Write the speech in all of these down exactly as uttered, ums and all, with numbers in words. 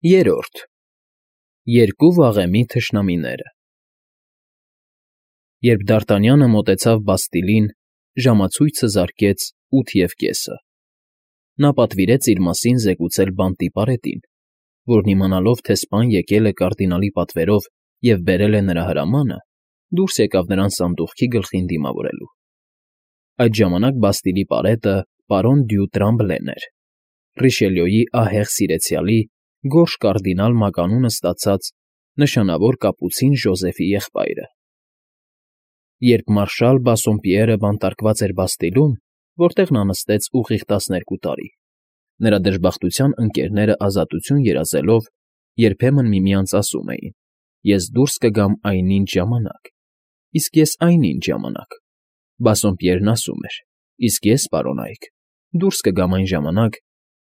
Երրորդ Երկու վաղեմի թշնամիները Երբ Դարտանյանը մոտեցավ Բաստիլին, ժամացույցը զարկեց ութ և կեսը. նա պատվիրեց իր մասին զեկուցել բանտի պարետին, որն իմանալով, թե սպան եկել է կարդինալի պատվերով և բերել է նրա հրամանը, դուրս եկավ նրան սանդուղքի գլխին դիմավորելու։ Այդ ժամանակ Բաստիլի պարետը պարոն դյու Տրամբլեն էր, Ռիշելյոյի ահեղ սիրեցյալի, գորշ կարդինալ մականունը ստացած նշանավոր կապուցին Ժոզեֆի եղբայրը։ Երբ մարշալ Բասսոմպիերը բանտարկված էր Բաստիլում, որտեղ նա նստեց ուղիղ տասներկու տարի, նրա դժբախտության ընկերները ազատություն երազելով երբեմն միմյանց ասում էին. «Ես դուրս կգամ այնինչ ժամանակ, իսկ ես այնինչ ժամանակ», Բասսոմպիերն ասում էր. «Իսկ ես, պարոնայք, դուրս կգամ այն ժամանակ,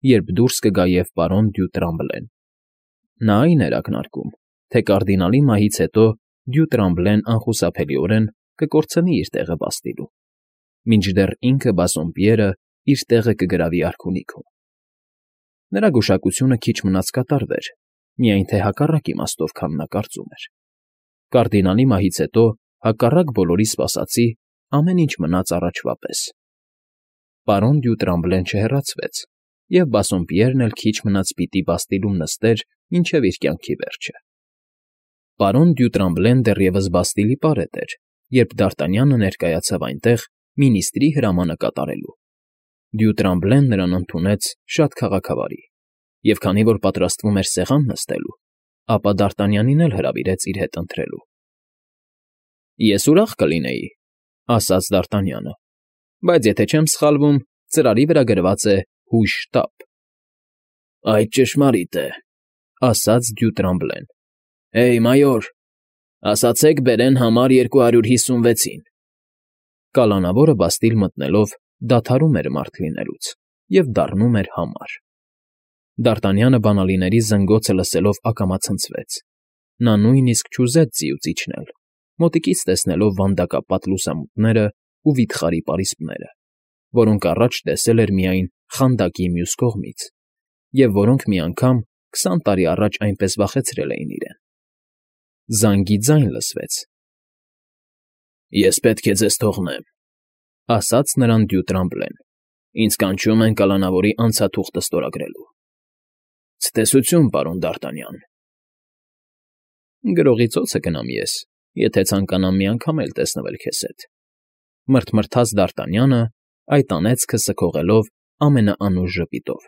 երբ դուրս կգա և պարոն դյու Տրամբլեն»։ Նա այն էր ակնարկում, թե կարդինալի մահից հետո դյու Տրամբլեն անխուսափելիորեն կկորցնի իր տեղը Բաստիլում, մինչդեռ ինքը Բասսոմպիերը իր տեղը կգրավի արքունիքում։ Նրա գուշակությունը քիչ մնաց կատարվեր, միայն թե հակառակ իմաստով, քան նա կարծում էր։ Կարդինալի մահից հետո, հակառակ բոլորի սպասածի, ամեն ինչ մնաց առաջվա պես։ Պարոն դյու Տրամբլեն չհեռացվեց, և Բասսոմպիերն էլ քիչ մնաց պիտի Բաստիլում նստեր մինչև իր կյանքի վերջը։ Պարոն դյու Տրամբլեն դեռևս Բաստիլի պարետ էր, երբ Դարտանյանը ներկայացավ այնտեղ մինիստրի հրամանը կատարելու։ Դյու Տրամբլեն նրան ընդունեց շատ քաղաքավարի, և քանի որ պատրաստվում էր սեղան նստելու, ապա Դարտանյանին էլ հրավիրեց իր հետ ընթրելու։ «Ես ուրախ կլինեի,֊ ասաց Դարտանյանը,֊ բայց եթե չեմ սխալվում, ծրարի վրա գրված է «հույժ տապ»։ ֊ Այդ ճշմարիտ է,֊ ասաց դյու Տրամբլեն։ ֊ Հեյ, մայոր, ասացեք բերեն համար երկու հարյուր հիսունվեցին։ Կալանավորը Բաստիլ մտնելով դադարում էր մարդ լինելուց և դառնում էր համար։ Դարտանյանը բանալիների զնգոցը լսելով ակամա ցնցվեց։ Նա նույնիսկ չուզեց ձիուց իջնել, մոտիկից տեսնելով վանդակապատ լուսամուտներն ու վիթխարի պարիսպները, որոնք առաջ տեսել էր միայն խանդակի մյուս կողմից, և որոնք մի անգամ քսան տարի առաջ այնպես վախեցրել էին իրեն։ Զանգի ձայն լսվեց։ ֊ Ես պետք է ձեզ թողնեմ,֊ ասաց նրան դյու Տրամբլեն,֊ ինձ կանչում են կալանավորի անցաթուղթը ստորագրելու։ ֊ Ցտեսություն, պարոն Դարտանյան։ ֊ Գրողի ծոցը գնամ ես, եթե ցանկանամ մի անգամ էլ տեսնվել քեզ հետ,֊ մռթմռթաց Դարտանյանը, այդ անեծքը սգողելով ամենաանուշ ժպիտով։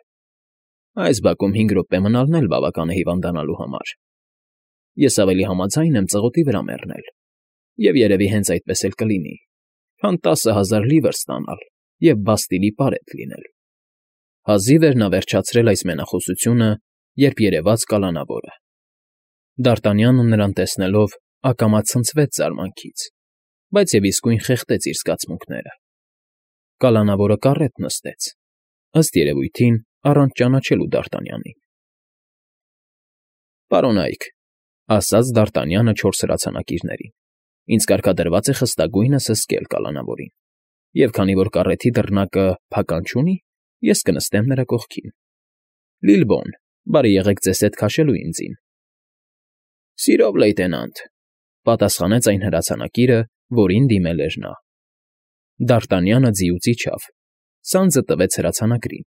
Այս բակում հինգ րոպե մնալն էլ բավական է հիվանդանալու համար։ Ես ավելի համաձայն եմ ծղոտի վրա մեռնել, և երևի հենց այդպես էլ կլինի, քան տասը հազար լիվր ստանալ և Բաստիլի պարետ լինել։ Հազիվ էր նա վերջացրել այս մենախոսությունը, երբ երևաց կալանավորը։ Դարտանյանը նրան տեսնելով ակամա ցնցվեց զարմանքից, բայց և իսկույն խեղդեց իր զգացմունքները։ Կալանավորը կառետ նստեց, ըստ երևույթին առանց ճանաչելու Դարտանյանին։ ֊ Պարոնայք,֊ ասաց Դարտանյանը չորս հրացանակիրներին,֊ ինձ կարգադրված է խստագույնս հսկել կալանավորին, և քանի որ կառեթի դռնակը փական չունի, ես կնստեմ նրա կողքին։ Լիլբոն, բարի եղեք ձեզ հետ քաշելու ինձին։ ֊ Սիրով, լեյտենանտ,֊ պատասխանեց այն հրացանակիրը, որին դիմել էր նա։ Դարտանյանը ձիուց իջավ, սանձը տվեց հրացանակրին։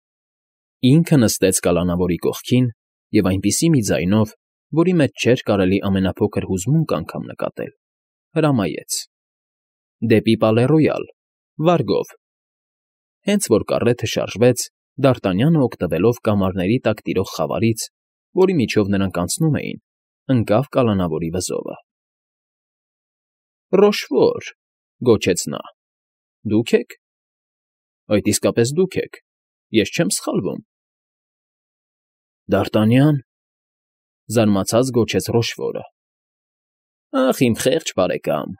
Ինքը նստեց կալանավորի կողքին և այնպիսի մի ձայնով, որի մեջ չէր կարելի ամենափոքր հուզմունք անգամ նկատել, հրամայեց. «Դեպի Պալե Ռոյալ, վարգով»։ Հենց որ կառեթը շարժվեց, Դարտանյանը, օգտվելով կամարների տակ տիրող խավարից, որի միջով նրանք անցնում էին, ընկավ կալանավորի վզովը։ ֊ Ռոշվոր,֊ գոչեց նա,֊ դու՞ք եք։ ֊ Այդ իսկապես դուք եք, ես չեմ սխալվում։ ֊ Դարտանյա՞ն,֊ զարմացած գոչեց Ռոշվորը։ ֊ Ախ, իմ խեղճ բարեկամ,֊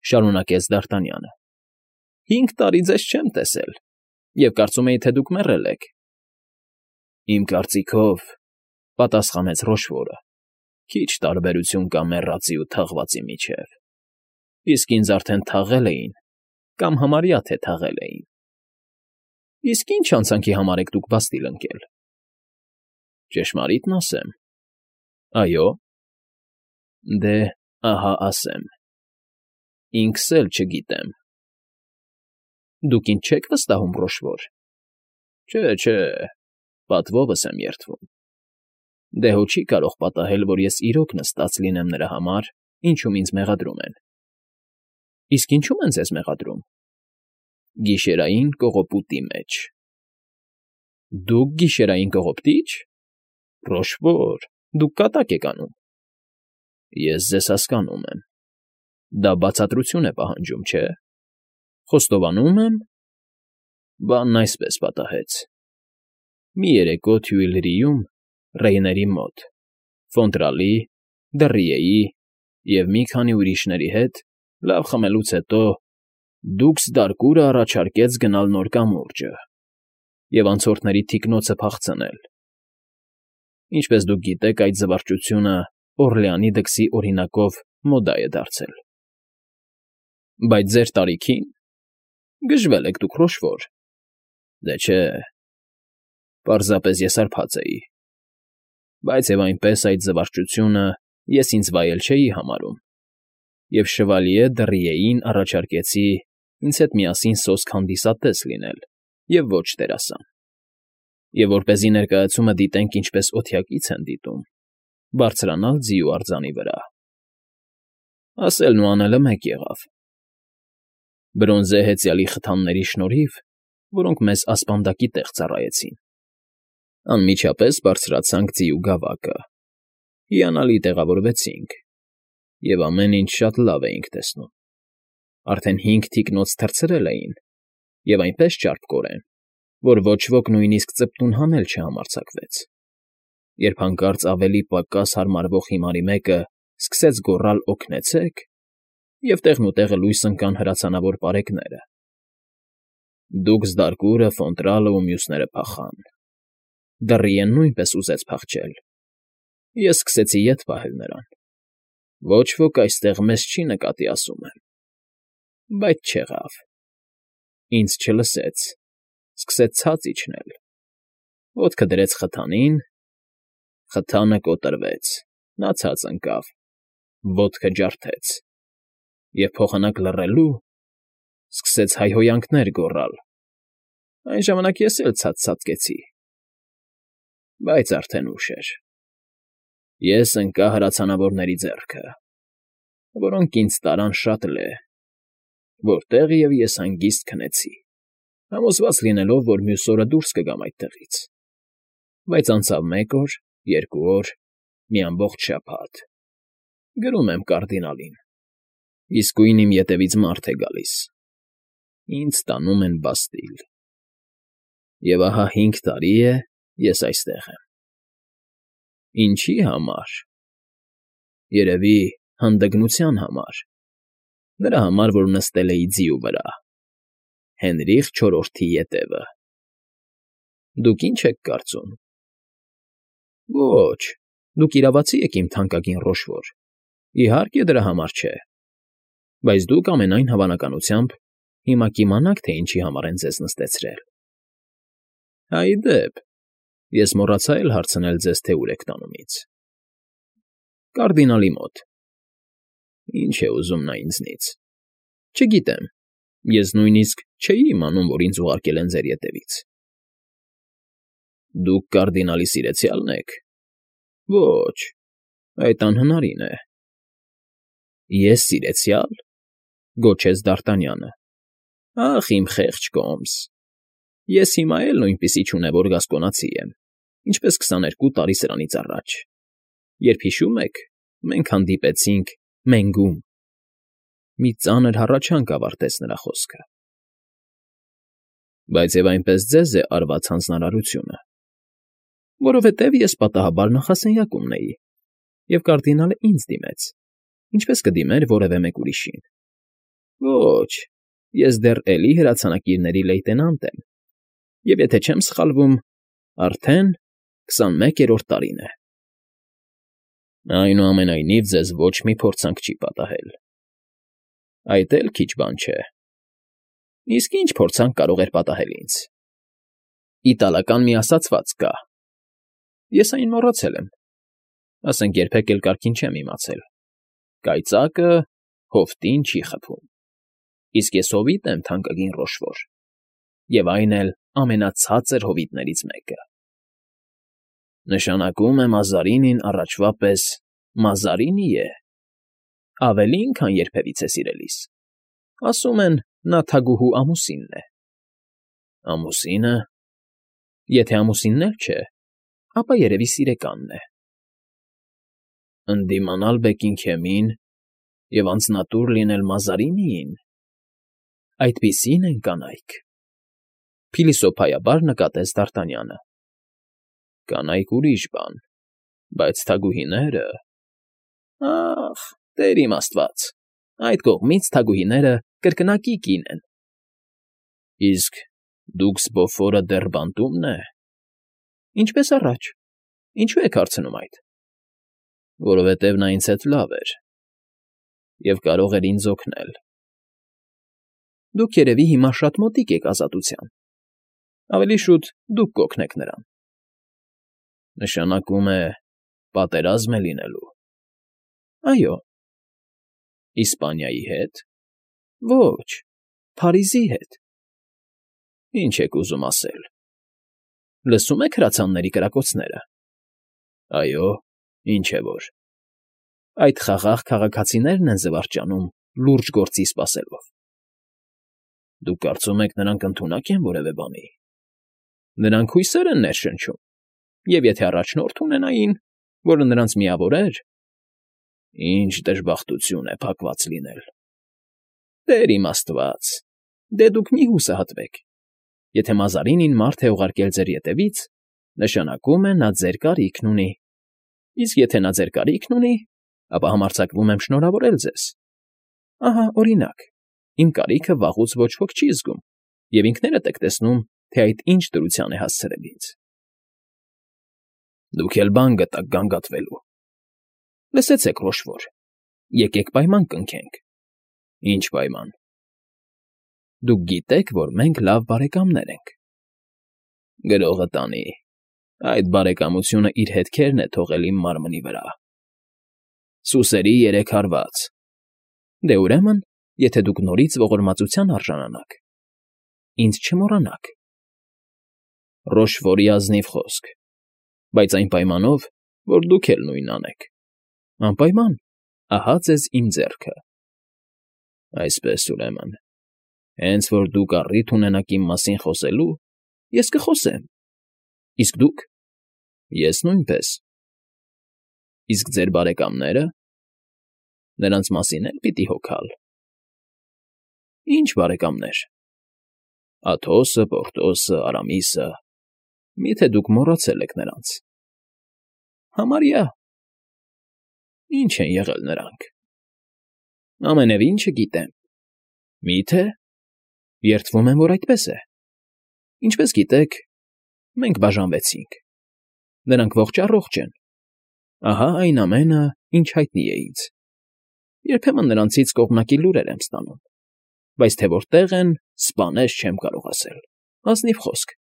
շարունակեց Դարտանյանը,֊ հինգ տարի ձեզ չեմ տեսել, և կարծում էի, թե դուք մեռել եք։ ֊ Իմ կարծիքով,֊ պատասխանեց Ռոշվորը,֊ քիչ տարբերություն կա մեռածի ու թաղվածի միջև, իսկ ինձ արդեն թաղել էին կամ համարյա թե թաղել էին։ ֊ Իսկ ի՞նչ հանցանքի համար եք դուք Բաստիլ ընկել։ ֊ Ճշմարիտն ասեմ, Այո։ Դե, ահա ասեմ. ինքս էլ չգիտեմ։ Դուք ինձ չե՞ք վստահում, Ռոշվոր։ Չէ, չէ, պատվովս եմ երդվում։ Դե հո չի կարող պատահել, որ ես իրոք նստած լինեմ նրա համար, ինչում ինձ մեղադրում են։ Իսկ ինչու՞մ են ձեզ մեղադրում։ Գիշերային կողոպուտի մեջ։ Դուք գիշերային կողոպտի՞չ։ Ռոշվոր, դուք կատակ եք անում։ Ես ձեզ հասկանում եմ։ Դա բացատրություն է պահանջում, չէ՞։ Խոստովանում եմ։ Բանն այսպես պատահեց. Մի երեկո Թյուիլրիում, Ռեյների մոտ, Ֆոնտրալի, Դռիեի և մի քանի ուրիշների հետ լավ խմելուց հետո դուքս Դարկուրը առաջարկեց գնալ Նոր կամուրջը և անցորդների թիկնոցը փախցնել։ Ինչպես դուք գիտեք, այդ զվարճությունը Օռլեանի դքսի օրինակով մոդա է դարձել։ Բայց ձեր տարիքին… Գժվել եք դուք, Ռոշվոր։ Դե չէ, պարզապես ես հարբած էի։ Բայց և այնպես այդ զվարճությունը ես ինձ վայել չէի համարում, և շվալիե Դռիեին առաջարկեցի ինձ հետ միասին սոսկ հանդիսատես լինել և ոչ դերասան։ Եվ որպեսզի ներկայացումը դիտենք ինչպես օթյակից են դիտում, բարձրանալ ձի ու արձանի վրա։ Ասելն ու անելը մեկ եղավ։ Բրոնզե հեծյալի խթանների շնորհիվ, որոնք մեզ ասպանդակի տեղ ծառայեցին, անմիջապես բարձրացանք ձիու գավակը, հիանալի տեղավորվեցինք և ամեն ինչ շատ լավ էինք տեսնում։ Արդեն հինգ թիկնոց թռցրել էին և այնպես ճարպկորեն, որ ոչ ոք նույնիսկ ծպտուն հանել չհամարձակվեց, երբ հանկարծ ավելի պակաս հարմարվող հիմարի մեկը սկսեց գոռալ «Օգնեցե՜ք», և տեղնուտեղը լույս ընկան հրացանավոր պարեկները։ Դուքս Դարկուրը, Ֆոնտրալը ու մյուսները փախան։ Դռիեն նույնպես ուզեց փախչել։ Ես սկսեցի ետ պահել նրան։ Ոչ ոք այստեղ մեզ չի նկատի, ասում եմ։ Բայց չեղավ։ Ինձ չլսեց, սկսեց ցած իջնել։ Ոտքը դրեց խթանին, խթանը կոտրվեց, նա ցած ընկավ, ոտքը ջարդեց, և փոխանակ լռելու, սկսեց հայհոյանքներ գոռալ։ Այն ժամանակ ես էլ ցած ցատկեցի։ Բայց արդեն ուշ էր։ Ես ընկա հրացանավորների ձեռքը, որոնք ինձ տարան շատ լե, որտեղ և ես հանգիստ քնեցի, համոզված լինելով, որ մյուս օրը դուրս կգամ այդտեղից։ Բայց անցավ մեկ օր, երկու օր, մի ամբողջ շաբաթ։ Գրում եմ կարդինալին. իսկույն իմ ետևից մարդ է գալիս։ Ինձ տանում են Բաստիլ։ Եվ ահա հինգ տարի է ես այստեղ եմ։ Ինչի համար։ Երևի հանդգնության համար։ Նրա համար, որ նստել էի ձիու վրա։ Հենրիխ չորրորդի ետևը։ Դուք ի՞նչ եք կարծում։ Ոչ, դուք իրավացի եք, իմ թանկագին Ռոշվոր, իհարկե դրա համար չէ։ Բայց դուք ամենայն հավանականությամբ հիմա կիմանաք, թե ինչի համար են ձեզ նստեցրել։ Հայ դեպ, ես մոռացա էլ հարցնել ձեզ, թե ուր եք տանում ինձ։ Կարդինալի մոտ։ Ինչ է ուզում նա ինձնից։ Չգիտեմ, ես նույնիսկ չէի իմանում, որ ինձ ուղարկել են ձեր ետևից։ Դուք կարդինալի սիրեցյալն եք։ Ոչ, այդ անհնարին է։ Ես սիրեցյալ, գոչեց Դ'Արտանյանը։ Ախ, իմ խեղճ կոմս։ Ես հիմա էլ նույնպիսի չունևոր գասկոնացի եմ, ինչպես քսաներկու տարի սրանից առաջ, երբ, հիշում եք, մենք հանդիպեցինք Մենգում։ Մի ծանր հառաչանք ավարտեց նրա խոսքը։ Բայց և այնպես ձեզ է արված հանձնարարությունը։ Որովհետև ես պատահաբար նախասենյակումն էի, և կարդինալը ինձ դիմեց, ինչպես կդիմեր որևէ մեկ ուրիշին։ Ոչ, ես դեռ էլի հրացանակիրների լեյտենանտ եմ, և եթե չեմ սխալվում, արդեն քսանմեկերորդ տարին է։ Այնուամենայնիվ ձեզ ոչ մի փորձանք չի պատահել։ Այդ էլ քիչ բան չէ։ Իսկ ի՞նչ փորձանք կարող էր պատահել ինձ։ Իտալական մի ասացված կա։ Ես այն մոռացել եմ։ ասենք երբեք էլ կարգին չեմ իմացել. կայծակը հովտին չի խփում, իսկ ես հովիտ եմ, թանկագին Ռոշվոր, և այն էլ ամենացածր հովիտներից մեկը։ Նշանակում է Մազարինին առաջվա պես Մազարինի է, ավելին, քան երբևիցե սիրելիս, ասում են, նա թագուհու ամուսինն է։ Ամուսինը, եթե ամուսինն էլ չէ, ապա երևի սիրեկանն է։ Ընդդիմանալ Բեքինգհեմին և անձնատուր լինել Մազարինիին, այդպիսին են կանայք,֊ փիլիսոփայաբար նկատեց Դ'Արտանյանը։ Կանայք ուրիշ բան, բայց թագուհիները… Ախ, տեր իմ աստված, այդ կողմից թագուհիները կրկնակի կին են։ Իսկ դուքս Բոֆորը դեռ բանտում՞մն է։ Ինչպես առաջ, ինչու եք հարցնում այդ։ Որովհետև նա ինձ հետ լավ էր և կարող էր ինձ օգնել։ Դուք երևի հիմա շատ մոտիկ եք ազատության, ավելի շուտ դուք կօգնեք նրան։ Նշանակում է պատերազմ է լինելու։ Այո։ Իսպանիայի հետ։ Ոչ, Փարիզի հետ։ Ինչ եք ուզում ասել։ Լսում եք հրացանների կրակոցները։ Այո, ինչ է որ։ Այդ խաղաղ քաղաքացիներն են զվարճանում լուրջ գործի սպասելով։ Դուք կարծում եք, նրանք ընդունակ են որևէ բանի։ Նրանք հույսեր են ներշնչում, և եթե առաջնորդ ունենային, որը նրանց միավորեր… Ինչ դժբախտություն է փակված լինել։ Տեր իմ աստված, դե դուք մի հուսահատվեք։ Եթե Մազարինին մարդ է ուղարկել ձեր ետևից, նշանակում է նա ձեր կարիքն ունի, իսկ եթե նա ձեր կարիքն ունի, ապա համարձակվում եմ շնորհավորել ձեզ։ Ահա, օրինակ, իմ կարիքը վաղուց ոչ ոք չի զգում, և ինքներդ եք տեսնում, թե այդ ինչ դրության է հասցրել ինձ։ Դուք էլ բան գտաք գանգատվելու։ Լսեցեք, Ռոշվոր, եկեք պայման կնքենք։ Ինչ պայման։ Դուք գիտեք, որ մենք լավ բարեկամներ ենք։ Գրողը տանի, այդ բարեկամությունը իր հետքերն է թողել իմ մարմնի վրա։ Սուսերի երեք հարված։ Դե ուրեմն, եթե դուք նորից ողորմածության արժանանաք, ինձ չմոռանաք։ Ռոշվորի ազնիվ խոսք, բայց այն պայմանով, որ դուք էլ նույնն անեք։ Անպայման, ահա ձեզ իմ ձեռքը։ Այսպես, ուրեմն, հենց որ դուք առիթ ունենաք իմ մասին խոսելու, ես կխոսեմ, իսկ դուք… Ես նույնպես։ Իսկ ձեր բարեկամները… Նրանց մասին էլ պիտի հոգալ։ Ինչ բարեկամներ… Աթոսը, Պորտոսը, Արամիսը… Մի՞թե դուք մոռացել եք նրանց։ Համարյա… Ինչ են եղել նրանք։ Ամենևին չգիտեմ։ Մի՞թե… Երդվում եմ, որ այդպես է։ Ինչպես գիտեք, մենք բաժանվեցինք։ Նրանք ողջ֊առողջ են։ Ահա այն ամենը, ինչ հայտնի է ինձ։ Երբեմն նրանցից կողմնակի լուրեր եմ ստանում, բայց թե որտեղ են, սպանես չեմ կարող ասել։ Ազնիվ խոսք։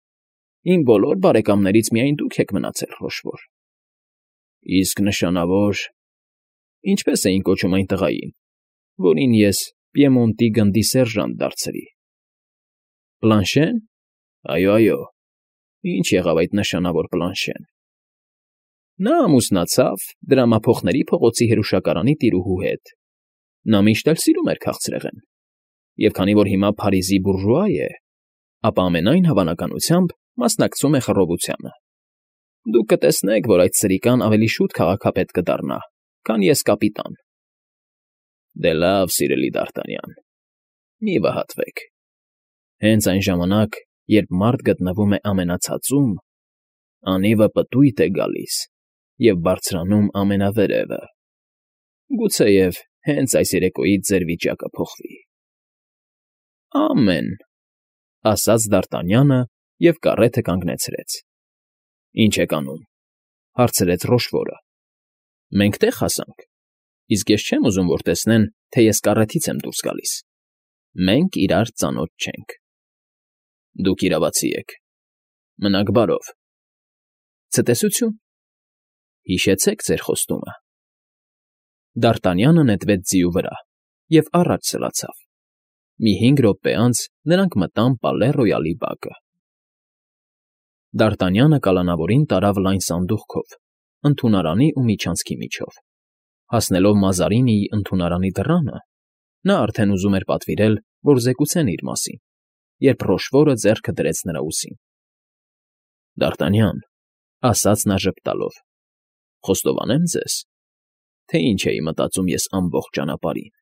Իմ բոլոր բարեկամներից միայն դուք եք մնացել, Ռոշվոր։ Իսկ նշանավոր… Ինչպես էին կոչում այն տղային, որին ես Պիեմոնտի գնդի սերժանտ դարձրի։ Պլանշե՞ն։ Այո, այո։ Ինչ եղավ այդ նշանավոր Պլանշեն։ Նա ամուսնացավ Դրամափոխների փողոցի հրուշակարանի տիրուհու հետ։ Նա միշտ էլ սիրում էր քաղցրեղեն, և քանի որ հիմա Փարիզի բուրժուա է, ապա ամենայն հավանականությամբ մասնակցում է խռովությանը։ Դուք կտեսնեք, որ այդ սրիկան ավելի շուտ քաղաքապետ կդառնա, քան ես կապիտան։ Դե լավ, սիրելի Դ'Արտանյան, մի վհատվեք։ Հենց այն ժամանակ, երբ մարդ գտնվում է ամենացածում, անիվը պտույտ է գալիս և բարձրանում ամենավերևը։ Գուցեև հենց այս երեկոյից ձեր վիճակը փոխվի։ Ամեն, ասաց Դ'Արտանյանը և կառեթը կանգնեցրեց։ Ինչ եք անում, հարցրեց Ռոշվորը։ Մենք տեղ հասանք, իսկ ես չեմ ուզում, որ տեսնեն, թե ես կառեթից եմ դուրս գալիս։ Մենք իրար ծանոթ չենք։ Դուք իրավացի եք։ Մնաք բարով։ Ցտեսություն։ Հիշեցեք ձեր խոստումը։ Դ'Արտանյանը նետվեց ձիու վրա և առաջ սլացավ։ Մի հինգ րոպե անց նրանք մտան Պալե Ռոյալի բակը։ Դ'Արտանյանը կալանավորին տարավ լայն սանդուղքով, ընդունարանի ու միջանցքի միջով։ Հասնելով Մազարինիի ընդունարանի դռանը, նա արդեն ուզում էր պատվիրել, որ զեկուցեն իր մասին, երբ Ռոշվորը ձեռքը դրեց նրա ուսին։ ֊ Դ'Արտանյան,֊ ասաց նա ժպտալով,֊ խոստովանեմ ձեզ, թե ինչ էի մտածում ես ամբողջ ճանապարհին,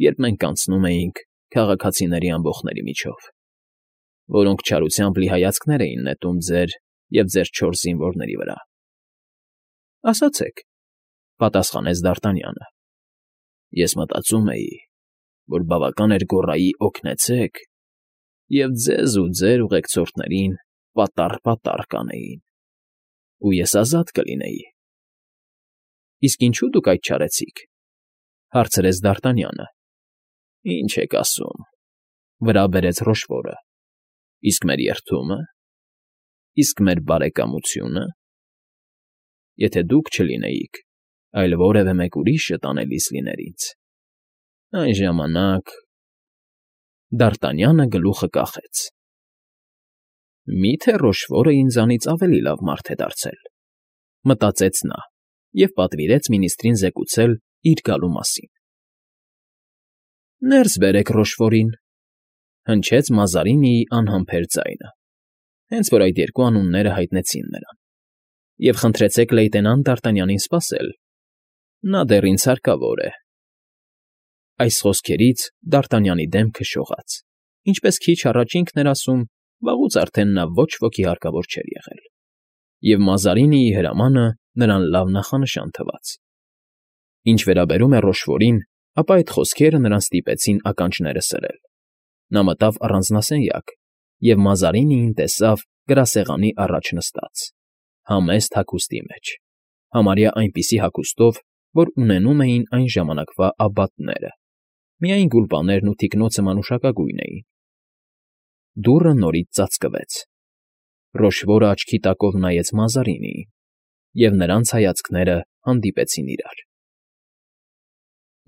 երբ մենք անցնում էինք քաղաքացիների ամբոխների միջով, որոնք չարությամբ լի հայացքներ էին նետում ձեր և ձեր չորս զինվորների վրա։ ֊ Ասացեք,֊ պատասխանեց Դ'Արտանյանը։ Ես մտածում էի, որ բավական էր գոռայի օգնեցեք, և ձեզ ու ձեր ուղեկցորդներին պատառ֊պատառ կանեին, ու ես ազատ կլինեի։ ֊ Իսկ ինչո՞ւ դուք այդ չարեցիք,֊ հարցրեց Դ'Արտանյանը։ ֊ Ի՞նչ եք ասում,֊ վրա բերեց Ռոշվորը,֊ իսկ մեր երդումը, իսկ մեր բարեկամությո՞ւնը։ Եթե դուք չլինեիք, այլ որևէ մեկ ուրիշը տանելիս լիներ ինձ, այն ժամանակ… Դ'Արտանյանը գլուխը կախեց։ «Մի՞թե Ռոշվորը ինձանից ավելի լավ մարդ է դարձել,֊ մտածեց նա և պատվիրեց մինիստրին զեկուցել իր գալու մասին։ ֊ Ներս բերեք Ռոշվորին,֊ հնչեց Մազարինիի անհամբեր ձայնը, հենց որ այդ երկու անունները հայտնեցին նրան,֊ և խնդրեցեք լեյտենանտ Դ'Արտանյանին սպասել. նա դեռ ինձ հարկավոր է։ Այս խոսքերից Դ'Արտանյանի դեմքը շողաց, ինչպես քիչ առաջ ինքն էր ասում, վաղուց արդեն նա ոչ ոքի հարկավոր չէր եղել, և Մազարինիի հրամանը նրան լավ նախանշան թվաց։ Ինչ վերաբերում է Ռոշվորին, ապա այդ խոսքերը նրան ստիպեցին ականջները սրել։ Նա մտավ առանձնասենյակ և Մազարինիին տեսավ գրասեղանի առաջ նստած, համեստ հագուստի մեջ, համարյա այնպիսի հագուստով, որ ունենում էին այն ժամանակվա աբբատները, միայն գուլպաներն ու թիկնոցը մանուշակագույն էին։ Դուռը նորից ծածկվեց։ Ռոշվորը աչքի տակով նայեց Մազարինիին, և նրանց հայացքները հանդիպեցին իրար։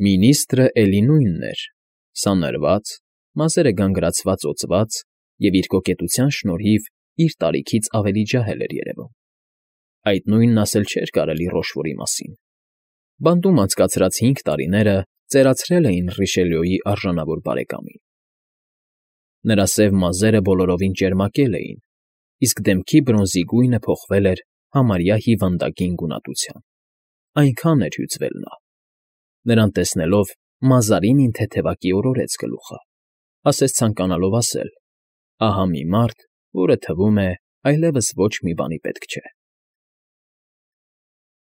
Մինիստրը էլի նույնն էր՝ սանրված, մազերը գանգրացված֊օծված և իր կոկետության շնորհիվ իր տարիքից ավելի ջահել էր երևում։ Այդ նույնն ասել չէր կարելի Ռոշվորի մասին։ Բանտում անցկացրած հինգ տարիները ծերացրել էին Ռիշելյուի արժանավոր բարեկամին։ Նրա սև մազերը բոլորովին ճերմակել էին, իսկ դեմքի բրոնզի գույնը փոխվել էր համարյա հիվանդագին գունատության։ Այնքան էր հյուծվել նա։ Նրան տեսնելով Մազարինին թեթևակի օրորեց գլուխը, ասես ցանկանալով ասել. ահա մի մարդ, որը, թվում է, այլևս ոչ մի բանի պետք չէ։